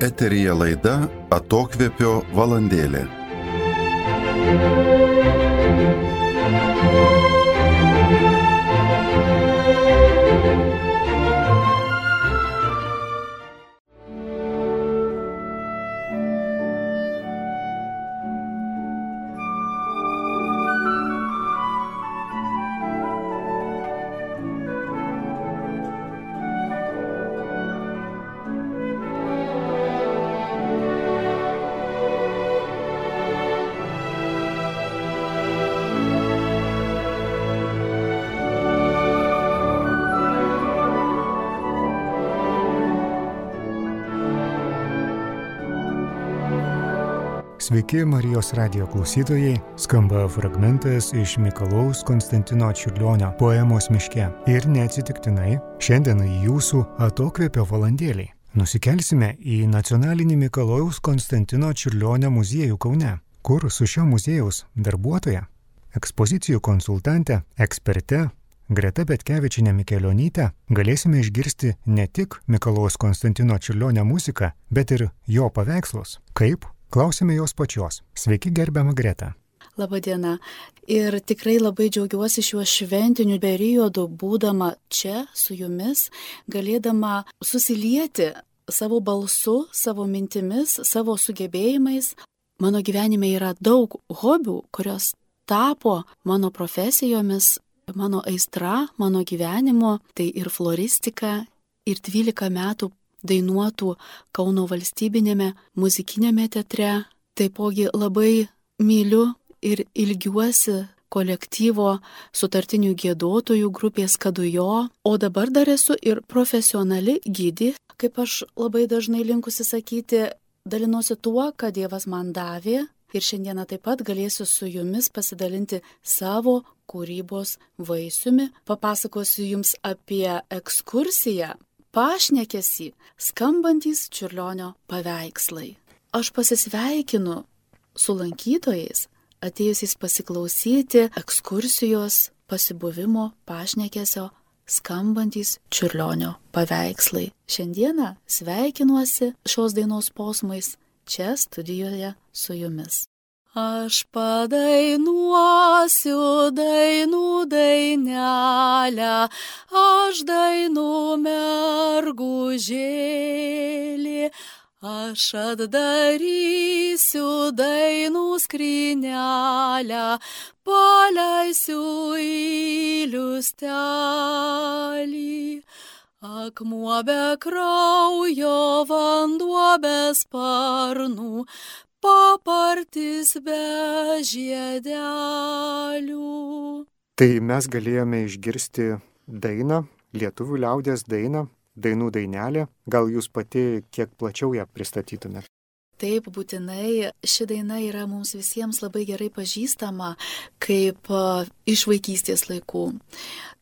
Eteryje laida Atokvėpio valandėlė. Sveiki Marijos radijo klausytojai, skamba fragmentas iš Mikalojaus Konstantino Čiurlionio poemos Miške. Ir neatsitiktinai, šiandien jūsų Atokvėpio valandėlį nusikelsime į nacionalinį Mikalojaus Konstantino Čiurlionio muziejų Kaune, kur su šio muziejaus darbuotoja, ekspozicijų konsultante, eksperte Greta Petkevičienė Mikelionytė galėsime išgirsti ne tik Mikalojaus Konstantino Čiurlionio muziką, bet ir jo paveikslus. Kaip? Klausime jos pačios. Sveiki, gerbiama Greta. Labadiena. Ir tikrai labai džiaugiuosi šiuo šventiniu periodu, būdama čia su jumis, galėdama susilieti savo balsu, savo mintimis, savo sugebėjimais. Mano gyvenime yra daug hobių, kurios tapo mano profesijomis, mano aistra, mano gyvenimo. Tai ir floristika, ir 12 metų dainuotų Kauno valstybinėme muzikinėme teatre. Taipogi labai myliu ir ilgiuosi kolektyvo sutartinių giedotojų grupės Kadujo, o dabar dar esu ir profesionali gidė, kaip aš labai dažnai linkusi sakyti, dalinuosi tuo, ką Dievas man davė, ir šiandieną taip pat galėsiu su jumis pasidalinti savo kūrybos vaisiumi. Papasakosiu jums apie ekskursiją pašnekesį skambantys Čiurlionio paveikslai. Aš pasisveikinu su lankytojais, atėjusiais pasiklausyti ekskursijos pasibuvimo pašnekesio skambantys Čiurlionio paveikslai. Šiandieną sveikinuosi šios dainos posmais čia studijoje su jumis. Aš padainuosiu dainų dainelę, aš dainų mergužėlį, aš atdarysiu dainų skrynelę, paleisiu į liustelį. Akmuo be kraujo, vanduo be sparnų, papartis be žiedelių. Tai mes galėjome išgirsti dainą, lietuvių liaudies dainą, dainų dainelė. Gal jūs pati kiek plačiau ją pristatytumėte? Taip, būtinai. Ši daina yra mums visiems labai gerai pažįstama kaip iš vaikystės laikų.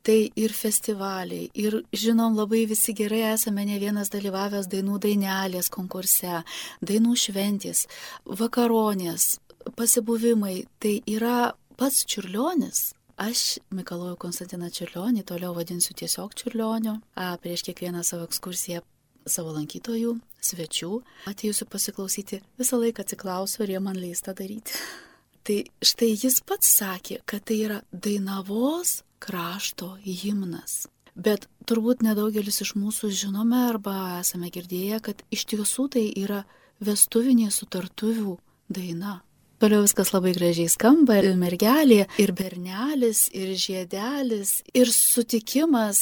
Tai ir festivaliai, ir žinom labai visi gerai esame ne vienas dalyvavęs dainų dainelės konkurse, dainų šventės, vakaronės, pasibuvimai. Tai yra pats Čiurlionis. Aš Mikalojų Konstantiną Čiurlionį toliau vadinsiu tiesiog Čiurlioniu. Prieš kiekvieną savo ekskursiją savo lankytojų, svečių, atėjusiu pasiklausyti, visą laiką atsiklausiu, ar jie man leis tą daryti. Tai štai jis pats sakė, kad tai yra Dainavos krašto himnas. Bet turbūt nedaugelis iš mūsų žinome arba esame girdėję, kad iš tiesų tai yra vestuvinė sutartuvių daina. Toliau viskas labai gražiai skamba, ir mergelė, ir bernelis, ir žiedelis, ir sutikimas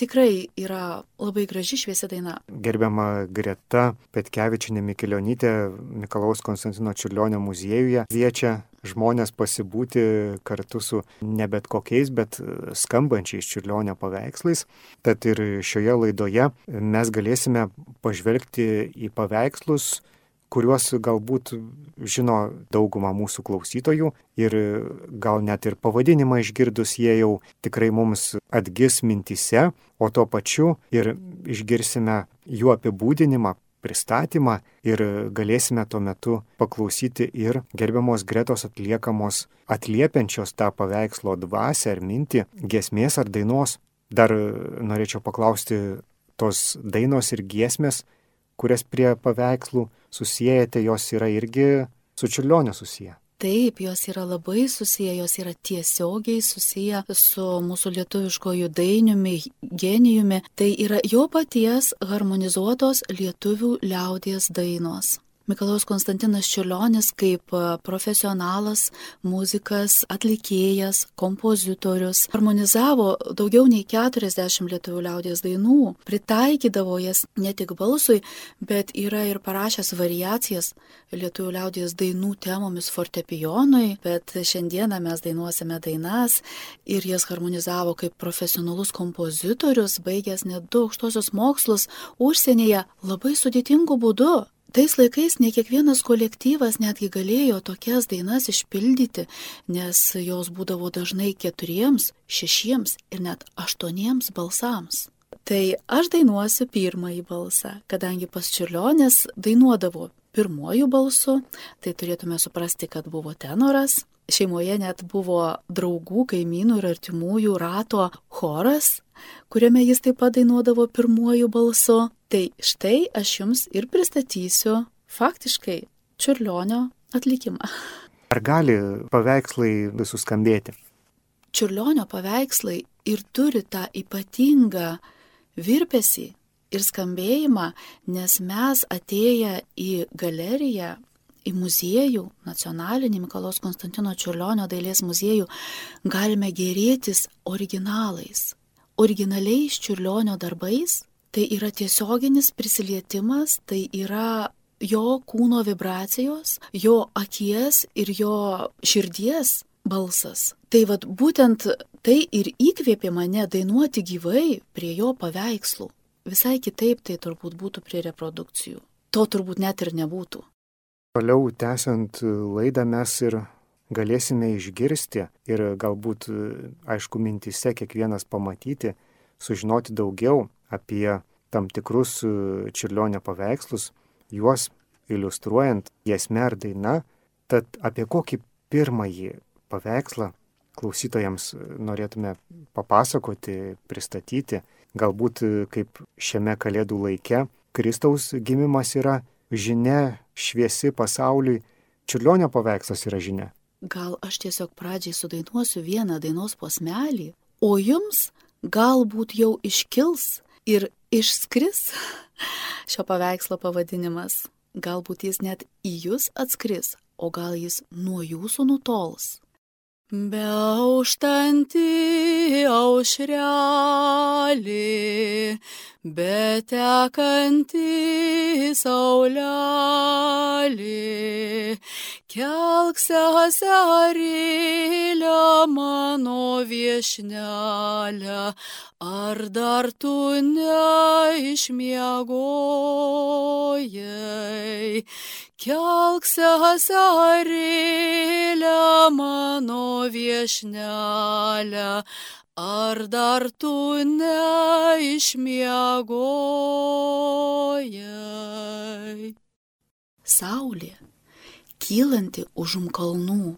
tikrai yra labai graži šviesi daina. Gerbiama Greta Petkevičienė Mikelionytė Mikalojaus Konstantino Čiurlionio muziejuje kviečia žmonės pasibūti kartu su ne bet kokiais, bet skambančiais Čiurlionio paveikslais. Tad ir šioje laidoje mes galėsime pažvelgti į paveikslus, kuriuos galbūt žino dauguma mūsų klausytojų ir gal net ir pavadinimą išgirdus jie jau tikrai mums atgis mintyse, o tuo pačiu ir išgirsime jų apibūdinimą, pristatymą ir galėsime tuo metu paklausyti ir gerbiamos Gretos atliekamos atliepiančios tą paveikslo dvasią ar mintį giesmės ar dainos. Dar norėčiau paklausti, tos dainos ir giesmės kurias prie paveikslų susijęjate, jos yra irgi su Čiurlioniu susiję. Taip, jos yra labai susiję, jos yra tiesiogiai susiję su mūsų lietuviškojų dainiumi, genijumi. Tai yra jo paties harmonizuotos lietuvių liaudies dainos. Mikalojaus Konstantinas Čiurlionis kaip profesionalas, muzikas, atlikėjas, kompozitorius harmonizavo daugiau nei 40 lietuvių liaudies dainų, pritaikydavo jas ne tik balsui, bet yra ir parašęs variacijas lietuvių liaudies dainų temomis fortepijonui, bet šiandieną mes dainuosime dainas ir jas harmonizavo kaip profesionalus kompozitorius, baigęs net 2 aukštuosius mokslus užsienyje labai sudėtingu būdu. Tais laikais ne kiekvienas kolektyvas netgi galėjo tokias dainas išpildyti, nes jos būdavo dažnai 4, 6 ir net 8 balsams. Tai aš dainuosiu pirmąjį balsą, kadangi pas Čiurlionis dainuodavo pirmuoju balsu, tai turėtume suprasti, kad buvo tenoras. Šeimoje net buvo draugų, kaimynų ir artimųjų rato choras, kuriame jis taip pat dainuodavo pirmuoju balsu. Tai štai aš jums ir pristatysiu faktiškai Čiurlionio atlikimą. Ar gali paveikslai suskambėti? Čiurlionio paveikslai ir turi tą ypatingą virpesį ir skambėjimą, nes mes atėję į galeriją, į muziejų, nacionalinį Mikalojaus Konstantino Čiurlionio dailės muziejų, galime gėrėtis originalais, originaliais Čiurlionio darbais. Tai yra tiesioginis prisilietimas, tai yra jo kūno vibracijos, jo akies ir jo širdies balsas. Tai vat būtent tai ir įkvėpė mane dainuoti gyvai prie jo paveikslų. Visai kitaip tai turbūt būtų prie reprodukcijų. To turbūt net ir nebūtų. Toliau tęsiant laidą mes ir galėsime išgirsti ir galbūt, aišku, mintise kiekvienas pamatyti, sužinoti daugiau apie tam tikrus Čiurlionio paveikslus, juos iliustruojant giesme ar daina. Tad apie kokį pirmąjį paveikslą klausytojams norėtume papasakoti, pristatyti, galbūt kaip šiame Kalėdų laike Kristaus gimimas yra žinia šviesi pasauliui, Čiurlionio paveikslas yra žinia. Gal aš tiesiog pradžiai sudainuosiu vieną dainos posmelį, o jums galbūt jau iškils ir išskris šio paveikslo pavadinimas. Galbūt jis net į jūs atskris, o gal jis nuo jūsų nutols. Beauštanti aušrelė, betekanti saulelė, kelk seserėlę mano viešnelę, ar dar tu neišmiegojai? Kelk seserėlę mano viešnelę, ar dar tu neišmiegojai? Saulė, kylanti užum kalnų,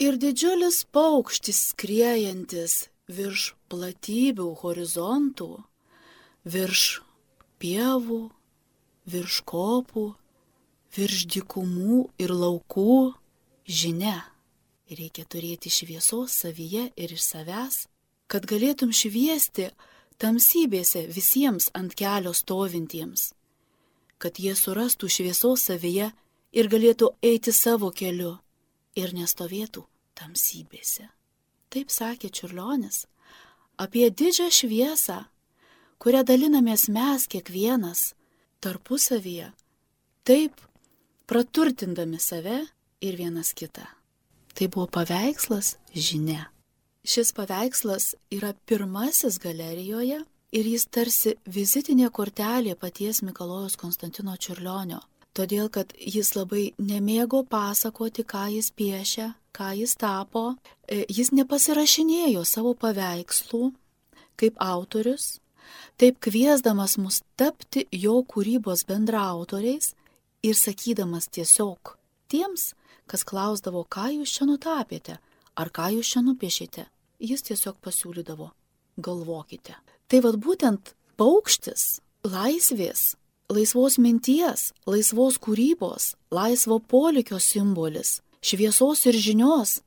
ir didžiulis paukštis skriejantis virš platybių horizontų, virš pievų, virš kopų, virš dykumų ir laukų, žinia. Reikia turėti šviesos savyje ir iš savęs, kad galėtum šviesti tamsybėse visiems ant kelio stovintiems, kad jie surastų šviesos savyje ir galėtų eiti savo keliu ir nestovėtų tamsybėse. Taip sakė Čiurlionis apie didžią šviesą, kurią dalinamės mes kiekvienas tarpusavyje, taip praturtindami save ir vienas kitą. Tai buvo paveikslas žinia. Šis paveikslas yra pirmasis galerijoje ir jis tarsi vizitinė kortelė paties Mikalojaus Konstantino Čiurlionio, todėl kad jis labai nemėgo pasakoti, ką jis piešia, ką jis tapo. Jis nepasirašinėjo savo paveikslų kaip autorius, taip kviesdamas mus tapti jo kūrybos bendraautoriais ir sakydamas tiesiog tiems, kas klausdavo, ką jūs čia nutapėte, ar ką jūs čia nupiešėte, jis tiesiog pasiūlydavo, galvokite. Tai vad būtent paukštis laisvės laisvos minties, laisvos kūrybos, laisvo polėkio simbolis, šviesos ir žinios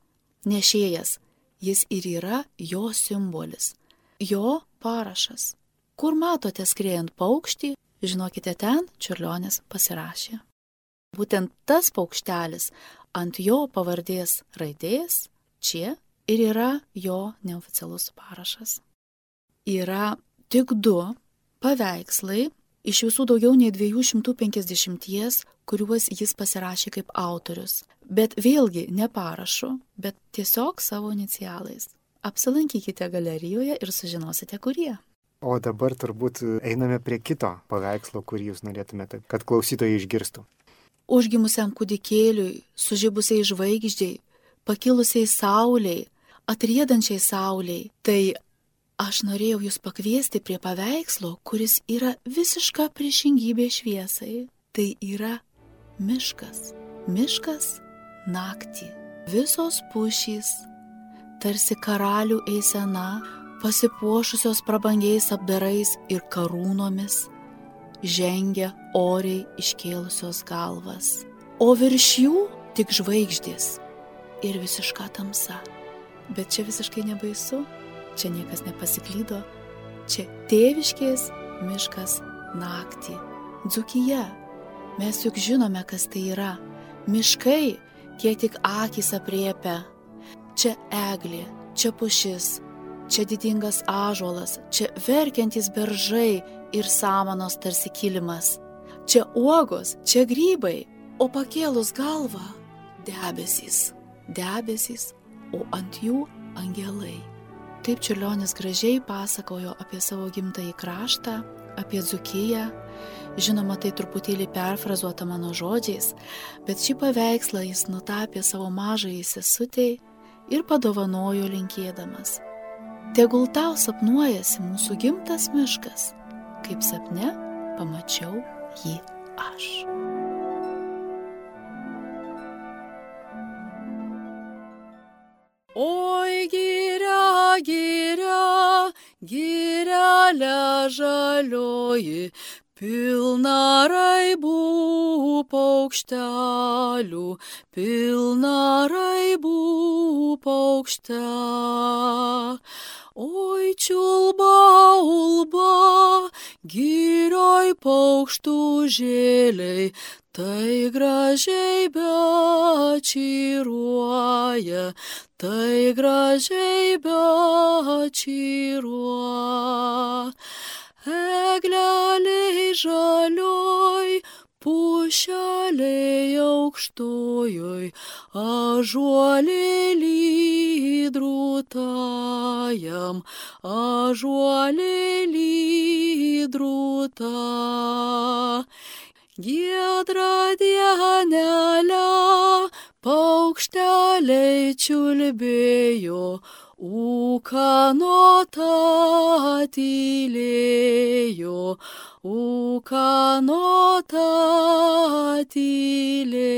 nešėjas. Jis ir yra jo simbolis, jo parašas. Kur matote skriejant paukštį, žinokite, ten Čiurlionis pasirašė. Būtent tas paukštelis ant jo pavardės raidės čia ir yra jo neoficialus parašas. Yra tik 2 paveikslai iš visų daugiau nei 250, kuriuos jis pasirašė kaip autorius. Bet vėlgi ne parašu, bet tiesiog savo inicialais. Apsilankykite galerijoje ir sužinosite, kurie. O dabar turbūt einame prie kito paveikslo, kurį jūs norėtumėte, kad klausytojai išgirstų. Užgimusiam kūdikėliui, sužibusiai žvaigždžiai, pakilusiai sauliai, atriedančiai sauliai. Tai aš norėjau jūs pakviesti prie paveikslo, kuris yra visiška priešingybė šviesai. Tai yra miškas. Miškas naktį. Visos pušys, tarsi karalių eisena, pasipuošusios prabangiais apdarais ir karūnomis, žengia oriai iškėlusios galvas. O virš jų tik žvaigždės ir visiška tamsa. Bet čia visiškai nebaisu, čia niekas nepasiklydo, čia tėviškės miškas naktį. Dzūkija, mes juk žinome, kas tai yra. Miškai, kiek tik akys apriepia. Čia eglė, čia pušis, čia didingas ąžuolas, čia verkiantys beržai ir samanos tarsi kilimas. Čia uogos, čia grybai, o pakėlus galvą debesys, o ant jų angelai. Taip Čiurlionis gražiai pasakojo apie savo gimtąjį kraštą, apie Dzūkiją. Žinoma, tai truputėlį perfrazuota mano žodžiais, bet šį paveikslą jis nutapė savo mažajai sesutei ir padovanojo linkėdamas. Tegul tau sapnuojasi mūsų gimtas miškas, kaip sapne pamačiau jį aš. Oi, giria, giria, girelė žalioji, pilna raibų paukštelių, pilna raibų paukšte. Oi, čiulba, ulba, girioj paukštų žėliai, tai gražiai bečiruoja, tai gražiai bečiruoja. Egleliai žalioj, pušeliai aukštojoj, ąžuolėlį drūtajam, ąžuolėlį drūta. Giedra dienelė, paukšteliai čiulbėjo, ūkanota tylėjo, ūkanota tylė.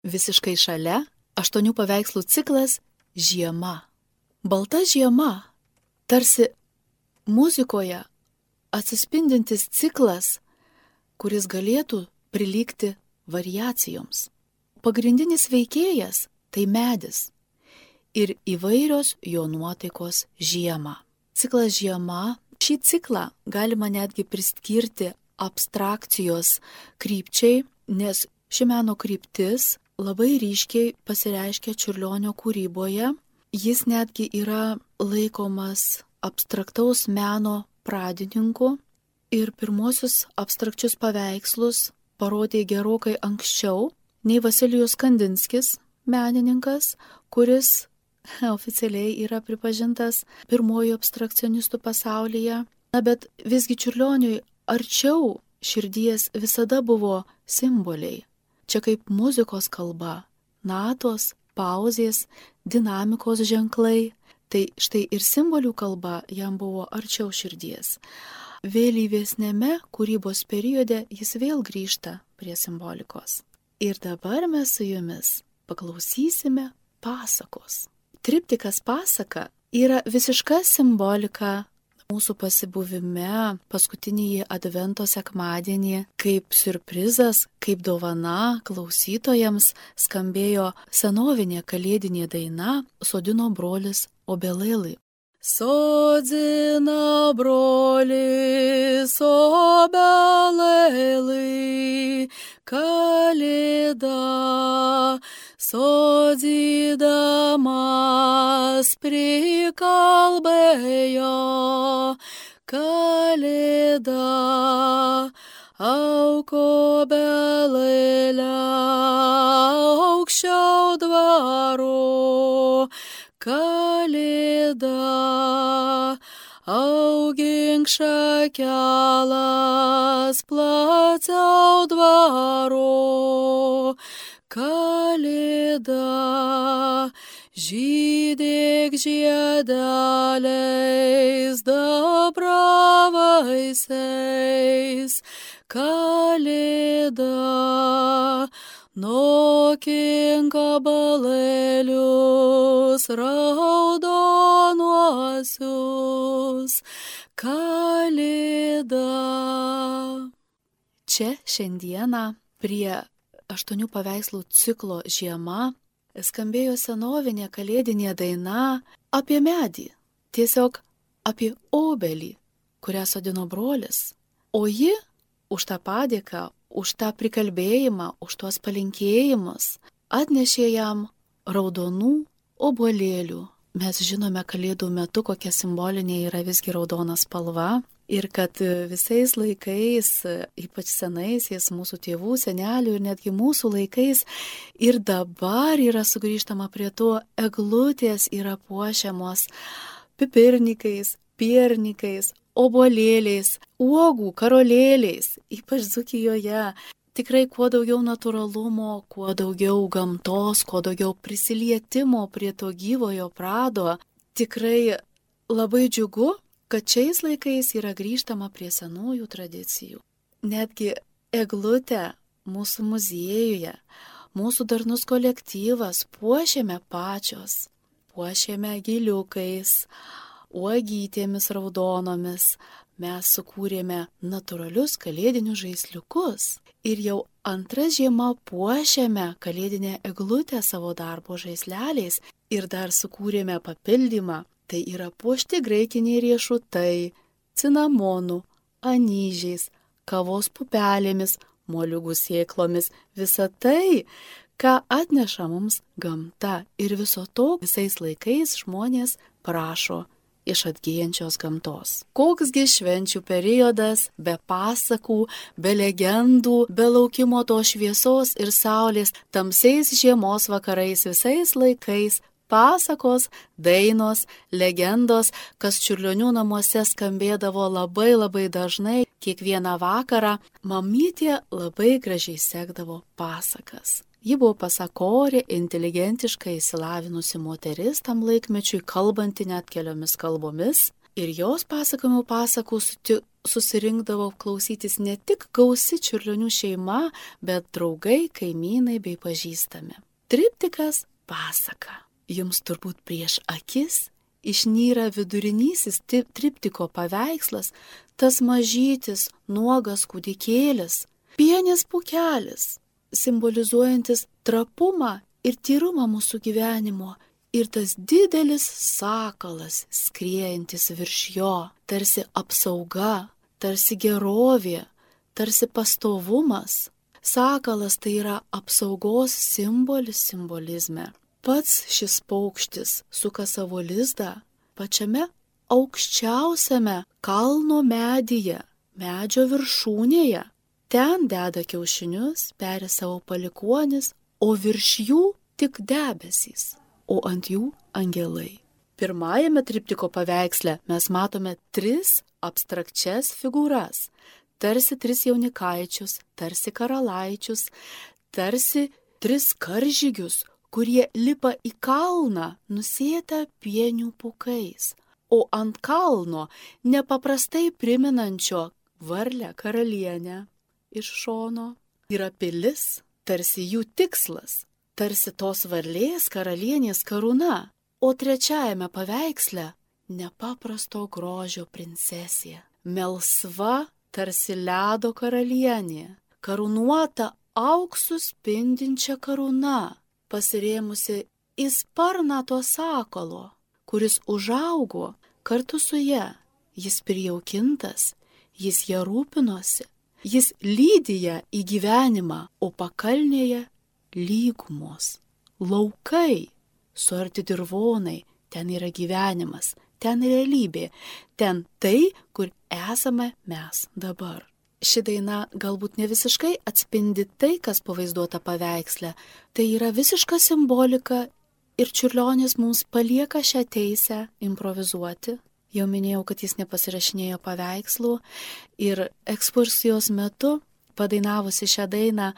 Visiškai šalia 8 paveikslų ciklas Žiema. Balta žiema, tarsi muzikoje atsispindintis ciklas, kuris galėtų prilygti variacijoms. Pagrindinis veikėjas tai medis ir įvairios jo nuotaikos žiemą. Ciklas Žiema, šį ciklą galima netgi priskirti abstrakcijos krypčiai, nes ši meno kryptis labai ryškiai pasireiškia Čiurlionio kūryboje. Jis netgi yra laikomas abstraktaus meno pradininku ir pirmosius abstrakčius paveikslus parodė gerokai anksčiau nei Vasilijus Kandinskis, menininkas, kuris oficialiai yra pripažintas pirmojo abstrakcionistų pasaulyje. Bet visgi Čiurlioniui arčiau širdies visada buvo simboliai. Čia kaip muzikos kalba, natos, pauzės, dinamikos ženklai. Tai štai ir simbolių kalba jam buvo arčiau širdies. Vėlyvesnėme kūrybos periode jis vėl grįžta prie simbolikos. Ir dabar mes su jumis paklausysime pasakos. Triptikas pasaka yra visiška simbolika mūsų pasibuvime paskutinįjį advento sekmadienį kaip siurprizas, kaip dovana klausytojams skambėjo senovinė kalėdinė daina Sodino brolis obelėlį. Sodina brolis obelėlį, kalėda sodydamas prikalbėjo, kalėda auk obelėlę aukščiau dvaro, kalėda augink šakelas plačiau dvaro, kalėda žydėk žiedeliais dabravaisiais, kalėda nokink obuolėlius raudonuosius, kalėda. Čia šiandieną prie 8 paveikslų ciklo Žiema skambėjo senovinė kalėdinė daina apie medį, tiesiog apie obelį, kurią sodino brolis. O ji už tą padėką, už tą prikalbėjimą, už tuos palinkėjimus atnešė jam raudonų obuolėlių. Mes žinome kalėdų metu, kokia simbolinė yra visgi raudona spalva ir kad visais laikais, ypač senaisiais mūsų tėvų, senelių ir netgi mūsų laikais ir dabar yra sugrįžtama prie to, eglutės yra puošiamos pipirnikais, piernikais, obuolėliais, uogų karolėliais, ypač Dzūkijoje. Tikrai kuo daugiau natūralumo, kuo daugiau gamtos, kuo daugiau prisilietimo prie to gyvojo prado. Tikrai labai džiugu, kad šiais laikais yra grįžtama prie senųjų tradicijų. Netgi eglutę mūsų muziejuje, mūsų darnus kolektyvas puošėme pačios, puošėme giliukais, uogytėmis raudonomis, mes sukūrėme natūralius kalėdinius žaisliukus. Ir jau antrą žiemą puošėme kalėdinę eglutę savo darbo žaisleliais ir dar sukūrėme papildymą. Tai yra puošti graikiniai riešutai, cinamonų, anyžiais, kavos pupelėmis, moliūgų sėklomis. Visa tai, ką atneša mums gamta. Ir viso to visais laikais žmonės prašo iš atgyjančios gamtos. Koksgi švenčių periodas be pasakų, be legendų, be laukimo to šviesos ir saulės, tamsiais žiemos vakarais visais laikais, pasakos, dainos, legendos, kas Čiurlionių namuose skambėdavo labai dažnai, kiekvieną vakarą, mamytė labai gražiai sekdavo pasakas. Ji buvo pasakorė, inteligentiškai išsilavinusi moteris tam laikmečiui, kalbanti net keliomis kalbomis. Ir jos pasakojimų pasakų susirinkdavo klausytis ne tik gausi Čiurlionių šeima, bet draugai, kaimynai bei pažįstami. Triptikas pasaka. Jums turbūt prieš akis išnyra vidurinysis triptiko paveikslas, tas mažytis, nuogas kūdikėlis, pienis pūkelis, simbolizuojantis trapumą ir tyrumą mūsų gyvenimo, ir tas didelis sakalas skriejantis virš jo, tarsi apsauga, tarsi gerovė, tarsi pastovumas. Sakalas tai yra apsaugos simbolizme. Pats šis paukštis suka savo lizdą pačiame aukščiausiame kalno medyje, medžio viršūnėje. Ten deda kiaušinius, peri savo palikuonis, o virš jų tik debesys, o ant jų angelai. Pirmajame triptiko paveiksle mes matome 3 abstrakčias figūras, tarsi 3 jaunikaičius, tarsi karalaičius, tarsi 3 karžygius, kurie lipa į kalną nusėtą pienių pūkais, o ant kalno nepaprastai priminančio varlę karalienę. Iš šono yra pilis, tarsi jų tikslas, tarsi tos varlės karalienės karūna, o trečiajame paveiksle nepaprasto grožio princesė, melsva tarsi ledo karalienė, karūnuota auksu spindinčia karūna, pasirėmusi į sparną to sakalo, kuris užaugo kartu su ja. Jis prijaukintas, jis ją rūpinosi, jis lydi ją į gyvenimą, o pakalnėje lygumos, laukai, suarti dirvonai, ten yra gyvenimas, ten realybė, ten tai, kur esame mes dabar. Ši daina galbūt ne visiškai atspindi tai, kas pavaizduota paveiksle, tai yra visiška simbolika ir Čiurlionis mums palieka šią teisę improvizuoti. Jau minėjau, kad jis nepasirašinėjo paveikslų ir ekskursijos metu, padainavusi šią dainą,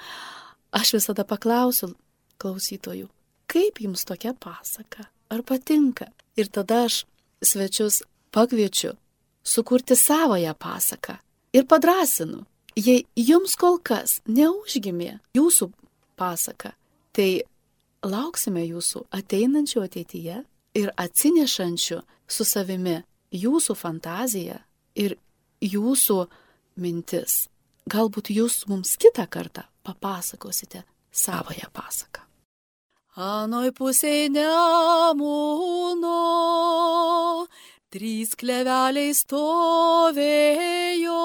aš visada paklausiu klausytojų, kaip jums tokia pasaka, ar patinka? Ir tada aš svečius pakviečiu sukurti savoją pasaką ir padrąsinu, jei jums kol kas neužgimė jūsų pasaka, tai lauksime jūsų ateinančių ateityje ir atsinešančių su savimi jūsų fantaziją ir jūsų mintis. Galbūt jūs mums kitą kartą papasakosite savoją pasaką. Anoj pusėj Nemuno 3 kleveliai stovėjo,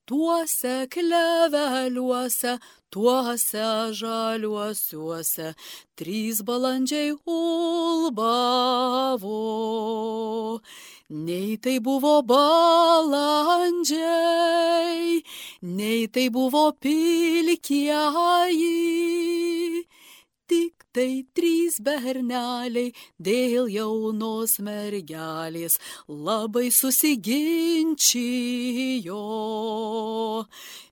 tuose kleveliuose, tuose žaliuosiuose 3 balandžiai ulbavo. Nei tai buvo balandžiai, nei tai buvo pilkieji, tik tai 3 berneliai dėl jaunos mergelės labai susiginčijo.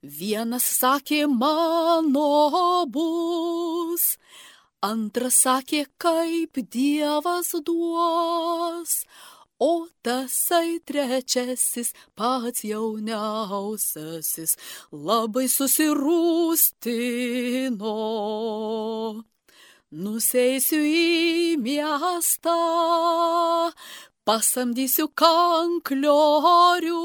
Vienas sakė, mano bus, antras sakė, kaip Dievas duos, o tasai trečiasis, pats jauniausiasis, labai susirūstino. Nuseisiu į miestą, pasamdysiu kankliorių,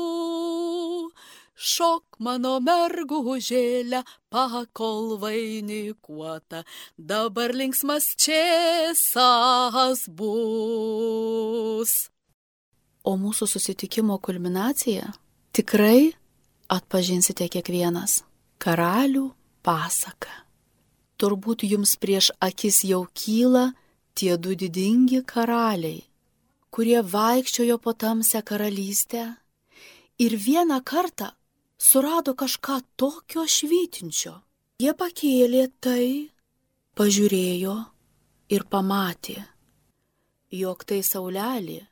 šok mano mergužėlę, pakol vainikuota, dabar linksmas čėsas bus. O mūsų susitikimo kulminacija tikrai atpažinsite kiekvienas. Karalių pasaka. Turbūt jums prieš akis jau kyla tie 2 didingi karaliai, kurie vaikščiojo po tamsią karalystę ir vieną kartą surado kažką tokio švytinčio. Jie pakėlė tai, pažiūrėjo ir pamatė, jog tai saulelė,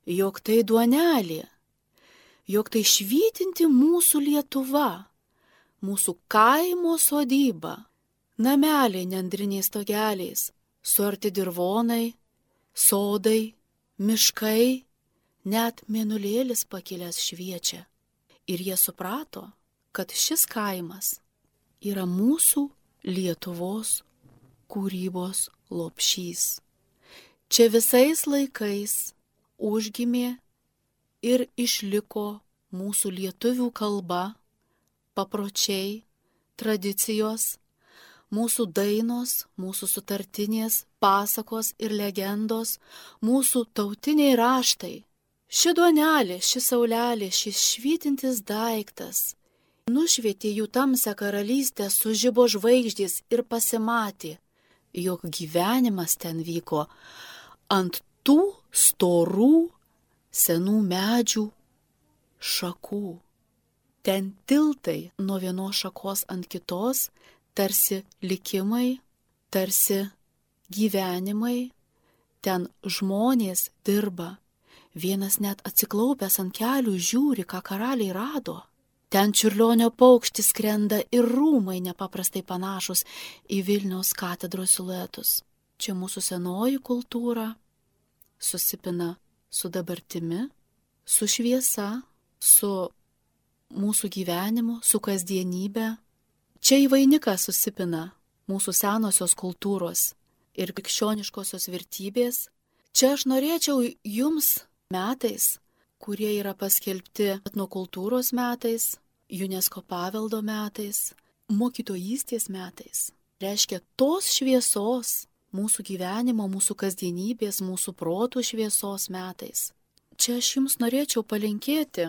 jog tai duonelė, jog tai švytinti mūsų Lietuva, mūsų kaimo sodyba, nameliai nendriniais stogeliais, suarti dirvonai, sodai, miškai, net mėnulėlis pakilęs šviečia. Ir jie suprato, kad šis kaimas yra mūsų Lietuvos kūrybos lopšys. Čia visais laikais užgimė ir išliko mūsų lietuvių kalba, papročiai, tradicijos, mūsų dainos, mūsų sutartinės, pasakos ir legendos, mūsų tautiniai raštai. Ši duonelė, ši saulelė, šis švytintis daiktas nušvietė jų tamsią karalystę, sužibo žvaigždės ir pasimatė, jog gyvenimas ten vyko ant tų storų senų medžių šakų. Ten tiltai nuo vienos šakos ant kitos, tarsi likimai, tarsi gyvenimai, ten žmonės dirba, vienas net atsiklaupęs ant kelių žiūri, ką karaliai rado. Ten Čiurlionio paukštis skrenda ir rūmai nepaprastai panašus į Vilniaus katedros siluetus. Čia mūsų senoji kultūra susipina su dabartimi, su šviesa, su mūsų gyvenimu, su kasdienybė. Čia į vainiką susipina mūsų senosios kultūros ir krikščioniškosios vertybės, Čia aš norėčiau jums metais, kurie yra paskelbti etnokultūros metais, UNESCO paveldo metais, mokytojystės metais, reiškia tos šviesos mūsų gyvenimo, mūsų kasdienybės, mūsų protų šviesos metais. Čia aš jums norėčiau palinkėti,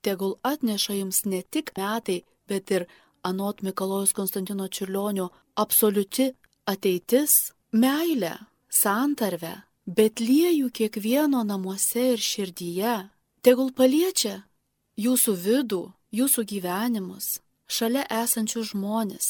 tegul atneša jums ne tik metai, bet ir anot Mikalojaus Konstantino Čiurlionio absoliuti ateitis, meilę, santarvę, Betliejų kiekvieno namuose ir širdyje, tegul paliečia jūsų vidų, jūsų gyvenimus, šalia esančius žmonės.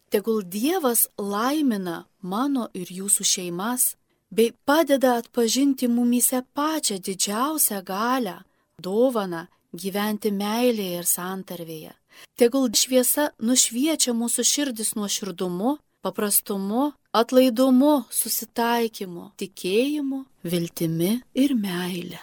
Tegul Dievas laimina mano ir jūsų šeimas, bei padeda atpažinti mumyse pačią didžiausią galią, dovaną gyventi meilėje ir santarvėje. Tegul šviesa nušviečia mūsų širdis nuoširdumu, paprastumu, atlaidumu, susitaikymu, tikėjimu, viltimi ir meile.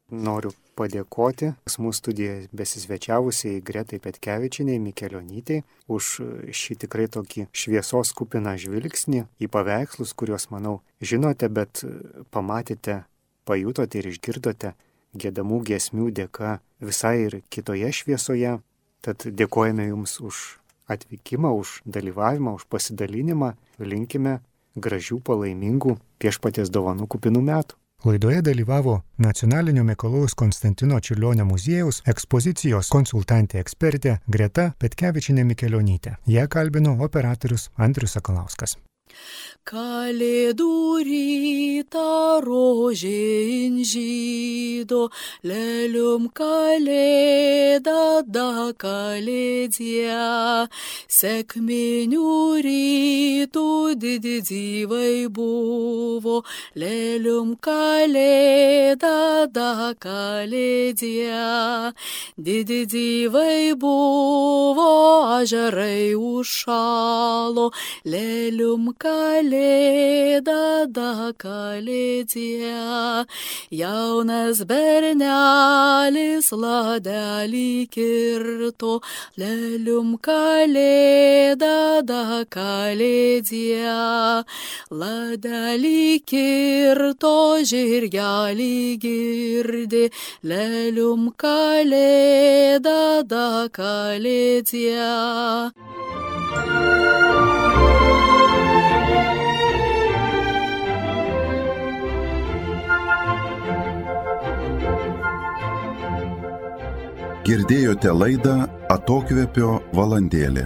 Noriu padėkoti mūsų studijoje besisvečiavusiai Gretai Petkevičienei Mikelionytei už šį tikrai tokį šviesos kupiną žvilgsnį į paveikslus, kuriuos, manau, žinote, bet pamatėte, pajutote ir išgirdote giedamų giesmių dėka visai ir kitoje šviesoje. Tad dėkojame Jums už atvykimą, už dalyvavimą, už pasidalinimą. Linkime gražių, palaimingų Viešpaties dovanų kupinų metų. Laidoje dalyvavo Nacionalinio Mikalojaus Konstantino Čiurlionio muziejaus ekspozicijos konsultantė ekspertė Greta Petkevičienė Mikelionytė. Ją kalbino operatorius Andrius Sakalauskas. Kalėdų rytą rožė inžydo, lelium kalėda da kalėdė. Sekminių rytų didzyvai buvo, lelium kalėda da kalėdė. Didzyvai buvo, ažarai užšalo, lelium kalėda da kalėdė. Jaunas bernelis ladelį kirto, lelium kalėda da kalėdė. Ladelį kirto, žirgelį girdi, lelium kalėda da kalėdė. Girdėjote laidą Atokvėpio valandėlė.